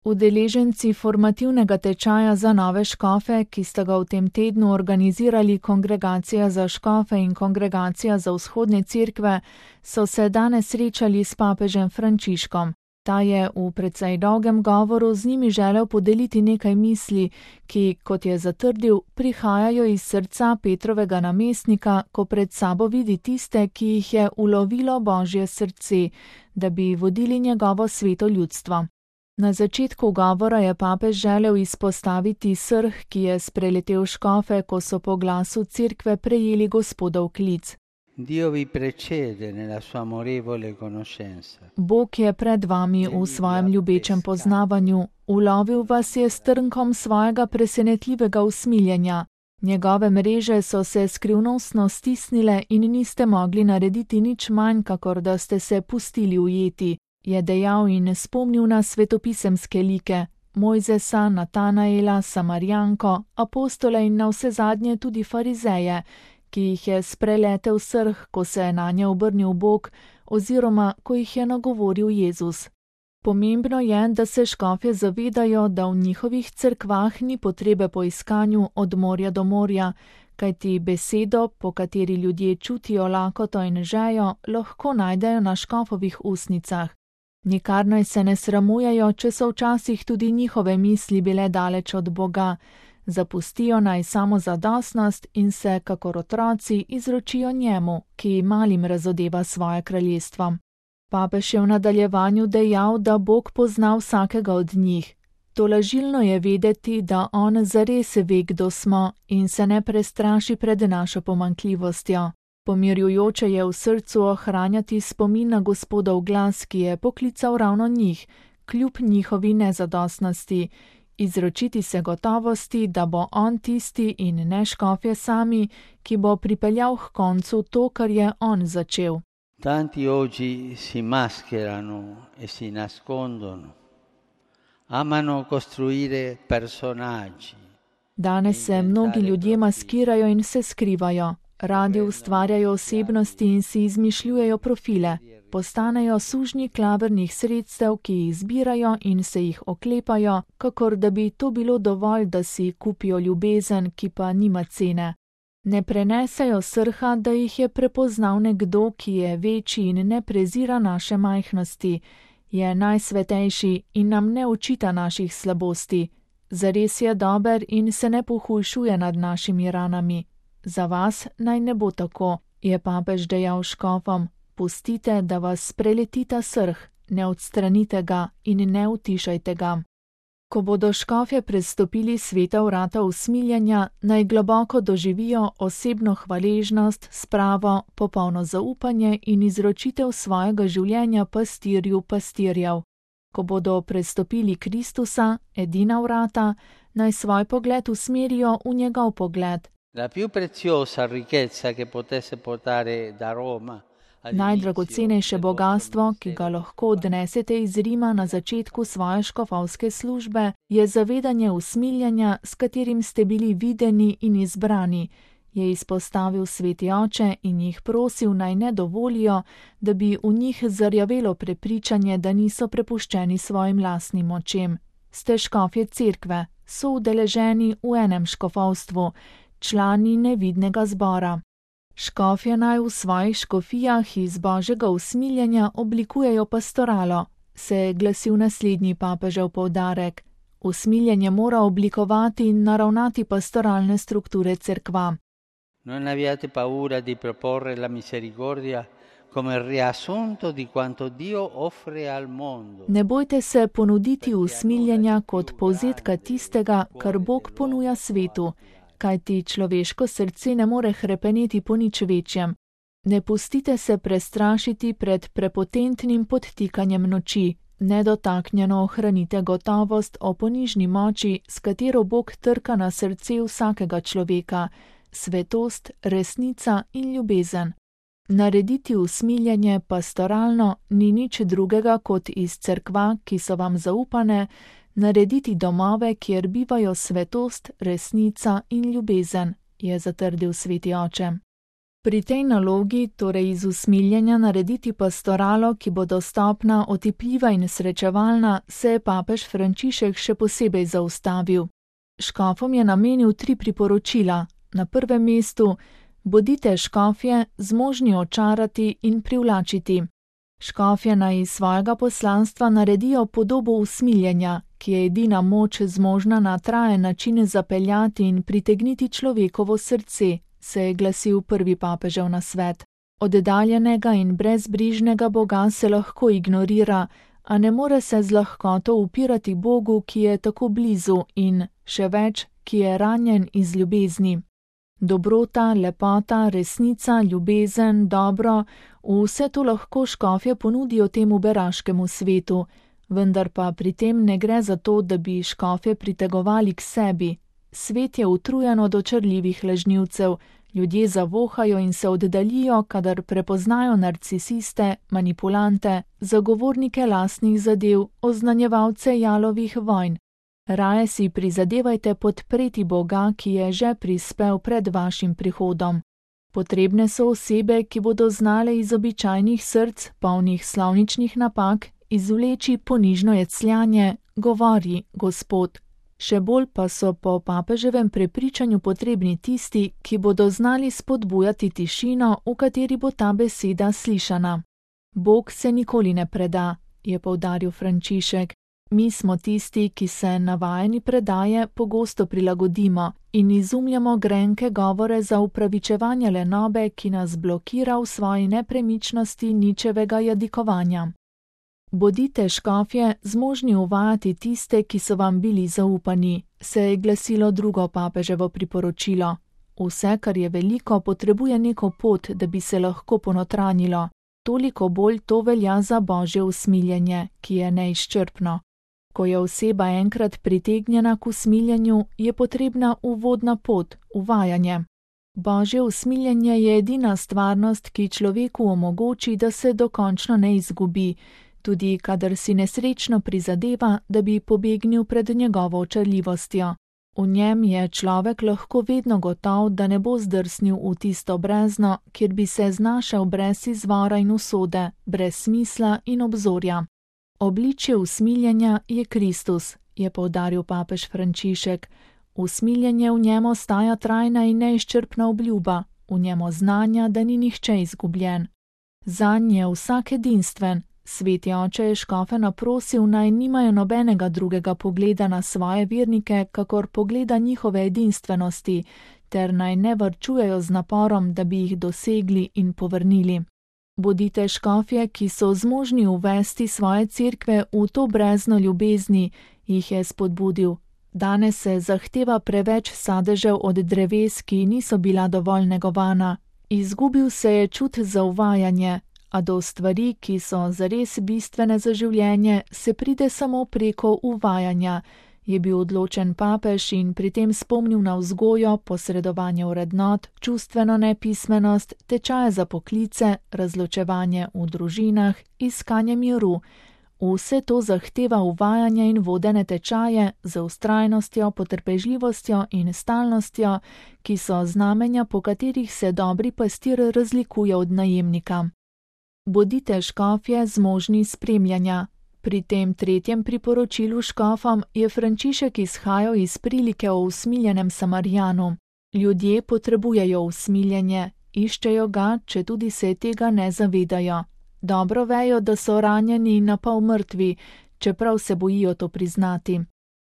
Udeleženci formativnega tečaja za nove škofe, ki sta ga v tem tednu organizirali Kongregacija za škofe in Kongregacija za vzhodne cerkve, so se danes srečali s papežem Frančiškom. Ta je v precej dolgem govoru z njimi želel podeliti nekaj misli, ki, kot je zatrdil, prihajajo iz srca Petrovega namestnika, ko pred sabo vidi tiste, ki jih je ulovilo Božje srce, da bi vodili njegovo sveto ljudstvo. Na začetku govora je papež želel izpostaviti srh, ki je spreletel škofe, ko so po glasu cerkve prejeli Gospodov klic. Bog je pred vami v svojem ljubečem poznavanju, ulovil vas je s trnkom svojega presenetljivega usmiljenja. Njegove mreže so se skrivnostno stisnile in niste mogli narediti nič manj, kakor da ste se pustili ujeti, je dejal in spomnil na svetopisemske like, Mojzesa, Natanaela, Samarijanko, apostole in navsezadnje tudi farizeje, ki jih je spreletel srh, ko se je nanje obrnil Bog, oziroma ko jih je nagovoril Jezus. Pomembno je, da se škofje zavedajo, da v njihovih cerkvah ni potrebe po iskanju od morja do morja, kajti besedo, po kateri ljudje čutijo lakoto in žejo, lahko najdejo na škofovih ustnicah. Nikar naj se ne sramujejo, če so včasih tudi njihove misli bile daleč od Boga. Zapustijo naj samozadostnost in se, kakor otroci, izročijo njemu, ki malim razodeva svoje kraljestvo. Papež je v nadaljevanju dejal, da Bog pozna vsakega od njih. Tolažilno je vedeti, da on zares ve, kdo smo in se ne prestraši pred našo pomanjkljivostjo. Pomirjujoče je v srcu ohranjati spomin na Gospodov glas, ki je poklical ravno njih, kljub njihovi nezadostnosti, izročiti se gotovosti, da bo on tisti in ne škofje sami, ki bo pripeljal k koncu to, kar je on začel. Tanti oggi si mascherano e si nascondono. Amano costruire personaggi. Danes se mnogi ljudje maskirajo in se skrivajo. Radi ustvarjajo osebnosti in si izmišljujejo profile. Postanejo sužnji klavrnih sredstev, ki jih zbirajo in se jih oklepajo, kakor da bi to bilo dovolj, da si kupijo ljubezen, ki pa nima cene. Ne prenesejo srha, da jih je prepoznal nekdo, ki je večji in ne prezira naše majhnosti, je najsvetejši in nam ne očita naših slabosti. Zares je dober in se ne pohujšuje nad našimi ranami. Za vas naj ne bo tako, je papež dejal škofom. Pustite, da vas preleti ta srh, ne odstranite ga in ne utišajte ga. Ko bodo škofje prestopili sveta vrata usmiljenja, naj globoko doživijo osebno hvaležnost, spravo, popolno zaupanje in izročitev svojega življenja pastirju pastirjev. Ko bodo prestopili Kristusa, edina vrata, naj svoj pogled usmerijo v njegov pogled. La più preziosa ricchezza che potesse portare da Roma. Najdragocenejše bogastvo, ki ga lahko odnesete iz Rima na začetku svoje škofovske službe, je zavedanje usmiljenja, s katerim ste bili videni in izbrani, je izpostavil sveti oče in jih prosil, naj ne dovolijo, da bi v njih zarjavelo prepričanje, da niso prepuščeni svojim lastnim močem. Ste škofje cerkve, so udeleženi v enem škofovstvu, člani nevidnega zbora. Škofje naj v svojih škofijah iz Božjega usmiljenja oblikujejo pastoralo, se je glasil naslednji papežev poudarek. Usmiljenje mora oblikovati in naravnati pastoralne strukture cerkva. Non abbiate paura di proporre la misericordia come riassunto di quanto Dio offre al mondo. Ne bojte se ponuditi usmiljenja kot povzetka tistega, kar Bog ponuja svetu, kajti človeško srce ne more hrepeneti po nič večjem. Ne pustite se prestrašiti pred prepotentnim podtikanjem noči, nedotaknjeno ohranite gotovost o ponižni moči, s katero Bog trka na srce vsakega človeka, svetost, resnica in ljubezen. Narediti usmiljenje pastoralno ni nič drugega kot iz cerkva, ki so vam zaupane, narediti domove, kjer bivajo svetost, resnica in ljubezen, je zatrdil sveti oče. Pri tej nalogi, torej iz usmiljenja narediti pastoralo, ki bo dostopna, otipljiva in srečevalna, se je papež Frančišek še posebej zaustavil. Škofom je namenil 3 priporočila. Na prvem mestu: bodite škofje, zmožni očarati in privlačiti. Škofje naj iz svojega poslanstva naredijo podobo usmiljenja, ki je edina moč zmožna na trajen način zapeljati in pritegniti človekovo srce, se je glasil prvi papežev nasvet. Oddaljenega in brezbrižnega Boga se lahko ignorira, a ne more se z lahkoto upirati Bogu, ki je tako blizu in, še več, ki je ranjen iz ljubezni. Dobrota, lepota, resnica, ljubezen, dobro, vse to lahko škofje ponudijo temu beraškemu svetu, vendar pa pri tem ne gre za to, da bi škofje pritegovali k sebi. Svet je utrujen od očarljivih lažnivcev, ljudje zavohajo in se oddaljijo, kadar prepoznajo narcisiste, manipulante, zagovornike lastnih zadev, oznanjevalce jalovih vojn. Raje si prizadevajte podpreti Boga, ki je že prispel pred vašim prihodom. Potrebne so osebe, ki bodo znale iz običajnih src, polnih slovničnih napak, izvleči ponižno jecljanje, govori Gospod. Še bolj pa so po papeževem prepričanju potrebni tisti, ki bodo znali spodbujati tišino, v kateri bo ta beseda slišana. Bog se nikoli ne preda, je poudaril Frančišek. Mi smo tisti, ki se navajeni predaje pogosto prilagodimo in izumljamo grenke govore za upravičevanje lenobe, ki nas blokira v svoji nepremičnosti ničevega jadikovanja. Bodite škofje, zmožni uvajati tiste, ki so vam bili zaupani, se je glasilo drugo papeževo priporočilo. Vse, kar je veliko, potrebuje neko pot, da bi se lahko ponotranjilo. Toliko bolj to velja za Božje usmiljenje, ki je neizčrpno. Ko je oseba enkrat pritegnjena k usmiljenju, je potrebna uvodna pot, uvajanje. Božje usmiljenje je edina stvarnost, ki človeku omogoči, da se dokončno ne izgubi, tudi kadar si nesrečno prizadeva, da bi pobegnil pred njegovo očarljivostjo. V njem je človek lahko vedno gotov, da ne bo zdrsnil v tisto brezno, kjer bi se znašel brez izvora in usode, brez smisla in obzorja. Obličje usmiljenja je Kristus, je poudaril papež Frančišek. Usmiljenje v njem ostaja trajna in neizčrpna obljuba, v njem znanja, da ni nihče izgubljen. Zanj je vsak edinstven. Sveti oče je škofe naprosil, naj nimajo nobenega drugega pogleda na svoje vernike, kakor pogleda njihove edinstvenosti, ter naj ne varčujejo z naporom, da bi jih dosegli in povrnili. Bodite škofje, ki so zmožni uvesti svoje cerkve v to brezno ljubezni, jih je spodbudil. Danes se zahteva preveč sadežev od dreves, ki niso bila dovolj negovana. Izgubil se je čut za uvajanje, a do stvari, ki so zares bistvene za življenje, se pride samo preko uvajanja, je bil odločen papež in pri tem spomnil na vzgojo, posredovanje vrednot, čustveno nepismenost, tečaje za poklice, razločevanje v družinah, iskanje miru. Vse to zahteva uvajanje in vodene tečaje z vztrajnostjo, potrpežljivostjo in stalnostjo, ki so znamenja, po katerih se dobri pastir razlikuje od najemnika. Bodite škofje zmožni spremljanja. Pri tem tretjem priporočilu škofom je Frančišek izhajal iz prilike o usmiljenem Samarijanu. Ljudje potrebujejo usmiljenje, iščejo ga, četudi se tega ne zavedajo. Dobro vejo, da so ranjeni in napol mrtvi, čeprav se bojijo to priznati.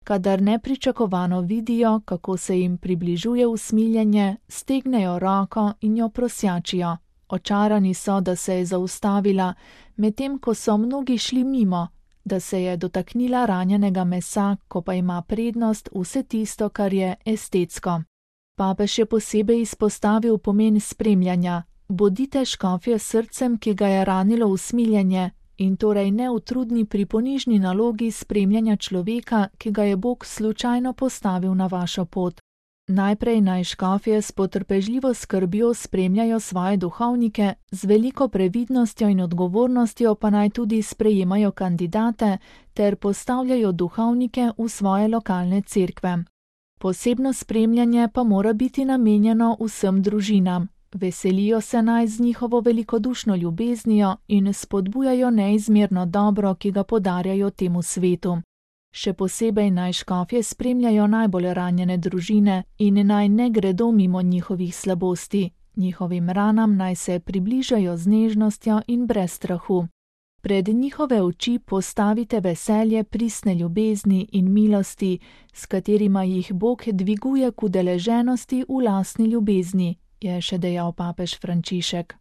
Kadar nepričakovano vidijo, kako se jim približuje usmiljenje, stegnejo roko in jo prosjačijo. Očarani so, da se je zaustavila, medtem ko so mnogi šli mimo, da se je dotaknila ranjenega mesa, ko pa ima prednost vse tisto, kar je estetsko. Papež je posebej izpostavil pomen spremljanja. Bodite škofje srcem, ki ga je ranilo usmiljenje, in torej neutrudni pri ponižni nalogi spremljanja človeka, ki ga je Bog slučajno postavil na vašo pot. Najprej naj škofje s potrpežljivo skrbjo spremljajo svoje duhovnike, z veliko previdnostjo in odgovornostjo pa naj tudi sprejemajo kandidate ter postavljajo duhovnike v svoje lokalne cerkve. Posebno spremljanje pa mora biti namenjeno vsem družinam. Veselijo se naj z njihovo velikodušno ljubeznijo in spodbujajo neizmerno dobro, ki ga podarjajo temu svetu. Še posebej naj škofje spremljajo najbolj ranjene družine in naj ne gredo mimo njihovih slabosti. Njihovim ranam naj se približajo z nežnostjo in brez strahu. Pred njihove oči postavite veselje pristne ljubezni in milosti, s katerima jih Bog dviguje k udeleženosti v lastni ljubezni, je še dejal papež Frančišek.